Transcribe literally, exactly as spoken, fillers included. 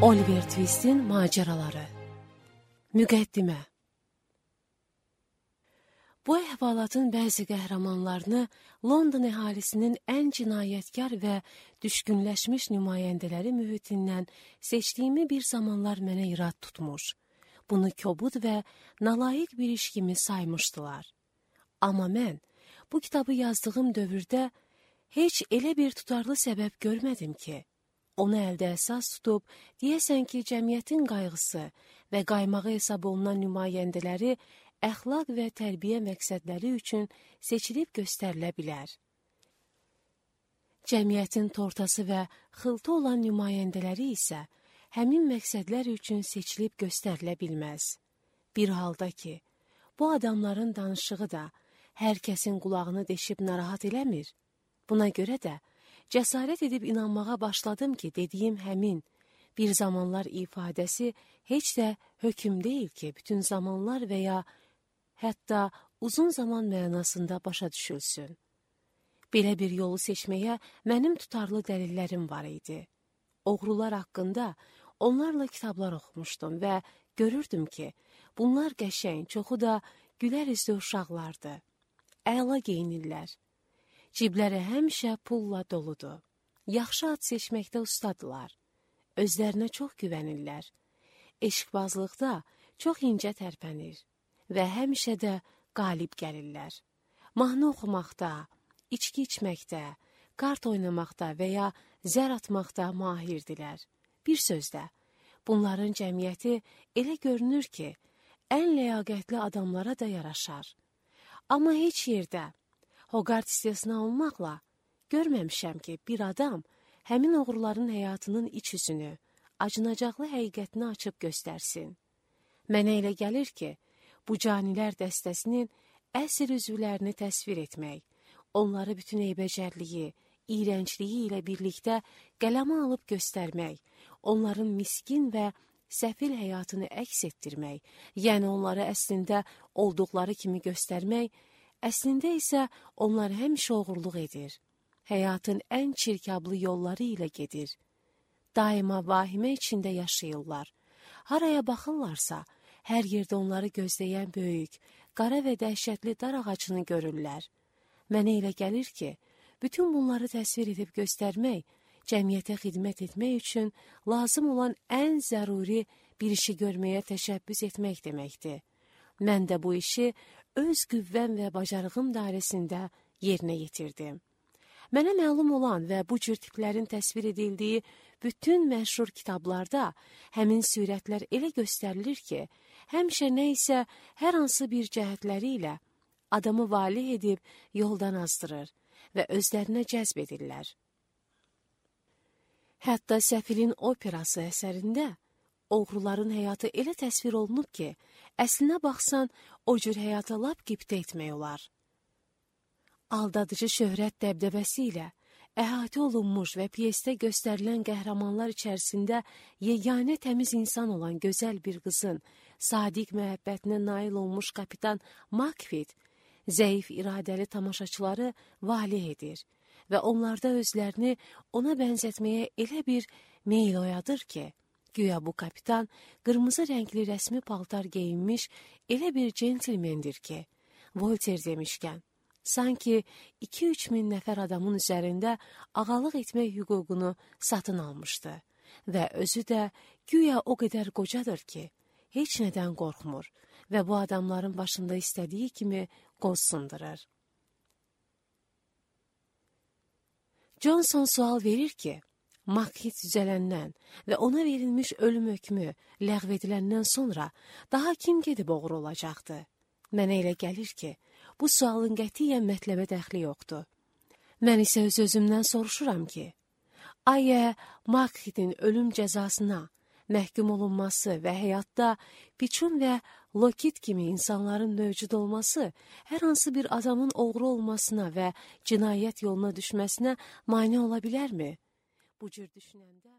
Oliver Twist'in maceraları. Müqəddimə. Bu əhvalatın bəzi qəhrəmanlarını London əhalisinin ən cinayətkar və düşkünləşmiş nümayəndələri mühitindən seçdiyimi bir zamanlar mənə irad tutmuş. Bunu kobud və nalayiq bir iş kimi saymışdılar. Amma mən bu kitabı yazdığım dövrdə heç elə bir tutarlı səbəb görmədim ki, onu əldə əsas tutub, deyəsən ki, cəmiyyətin qayğısı və qaymağı hesab olunan nümayəndələri əxlaq və tərbiyə məqsədləri üçün seçilib göstərilə bilər. Cəmiyyətin tortası və xıltı olan nümayəndələri isə həmin məqsədlər üçün seçilib göstərilə bilməz. Bir halda ki, bu adamların danışığı da hər kəsin qulağını deşib narahat eləmir. Buna görə də cəsarət edib inanmağa başladım ki, dediyim həmin bir zamanlar ifadəsi heç də hökm deyil ki, bütün zamanlar və ya hətta uzun zaman mənasında başa düşülsün. Belə bir yolu seçməyə mənim tutarlı dəlillərim var idi. Oğrular haqqında onlarla kitablar oxumuşdum və görürdüm ki, bunlar qəşəng, çoxu da gülər üzlü uşaqlardı. Əla geyinirlər. Cibləri həmişə pulla doludur. Yaxşı ad seçməkdə ustadılar. Özlərinə çox güvənirlər. Eşqbazlıqda çox incə tərpənir və həmişə də qalib gəlirlər. Mahnı oxumaqda, içki içməkdə, kart oynamaqda və ya zər atmaqda mahirdirlər. Bir sözlə, bunların cəmiyyəti elə görünür ki, ən ləyaqətli adamlara da yaraşar. Amma heç yerdə Hoqart istisna olmaqla görməmişəm ki, bir adam həmin oğruların həyatının iç üzünü, acınacaqlı həqiqətini açıb göstərsin. Mənə elə gəlir ki, bu canilər dəstəsinin əsr üzvlərini təsvir etmək, onları bütün eybəcərliyi, iyrəncliyi ilə birlikdə qələmə alıb göstərmək, onların miskin və səfil həyatını əks etdirmək, yəni onları əslində olduqları kimi göstərmək, əslində isə onlar həmişə oğurluq edir. Həyatın ən çirkablı yolları ilə gedir. Daima vahimə içində yaşayırlar. Haraya baxırlarsa, hər yerdə onları gözləyən böyük, qara və dəhşətli dar ağacını görürlər. Mənə elə gəlir ki, bütün bunları təsvir edib göstərmək, cəmiyyətə xidmət etmək üçün lazım olan ən zəruri bir işi görməyə təşəbbüs etmək deməkdir. Mən də bu işi öz qüvvəm və bacarığım dairəsində yerinə yetirdim. Mənə məlum olan və bu cür tiplərin təsvir edildiyi bütün məşhur kitablarda həmin sürətlər elə göstərilir ki, həmişə nə isə hər hansı bir cəhətləri ilə adamı valeh edib yoldan azdırır və özlərinə cəzb edirlər. Hətta Səfilin operası əsərində oğruların həyatı elə təsvir olunub ki, əslinə baxsan, o cür həyata lap qibtə etmək olar. Aldadıcı şöhrət dəbdəbəsi ilə əhatə olunmuş və pyesdə göstərilən qəhrəmanlar içərisində yeganə təmiz insan olan gözəl bir qızın sadiq məhəbbətinə nail olmuş kapitan Makfid, zəif iradəli tamaşaçıları valeh edir və onlarda özlərini ona bənzətməyə elə bir meyl oyadır ki, güya bu kapitan qırmızı rəngli rəsmi paltar geyinmiş elə bir centilmendir ki, Voltaire demişkən, sanki iki-üç min nəfər adamın üzərində ağalıq etmək hüququnu satın almışdı və özü də güya o qədər qocadır ki, heç nədən qorxmur və bu adamların başında istədiyi kimi qoz sındırır. Johnson sual verir ki, Makfid düzələndən və ona verilmiş ölüm hökmü ləğv ediləndən sonra daha kim gedib oğru olacaqdı? Mənə elə gəlir ki, bu sualın qətiyyən mətləbə dəxli yoxdur. Mən isə öz-özümdən soruşuram ki, ayə Makfidin ölüm cəzasına məhkum olunması və həyatda Piçun və Lokit kimi insanların mövcud olması hər hansı bir adamın oğru olmasına və cinayət yoluna düşməsinə mane ola bilərmi? Bu cür düşünəndə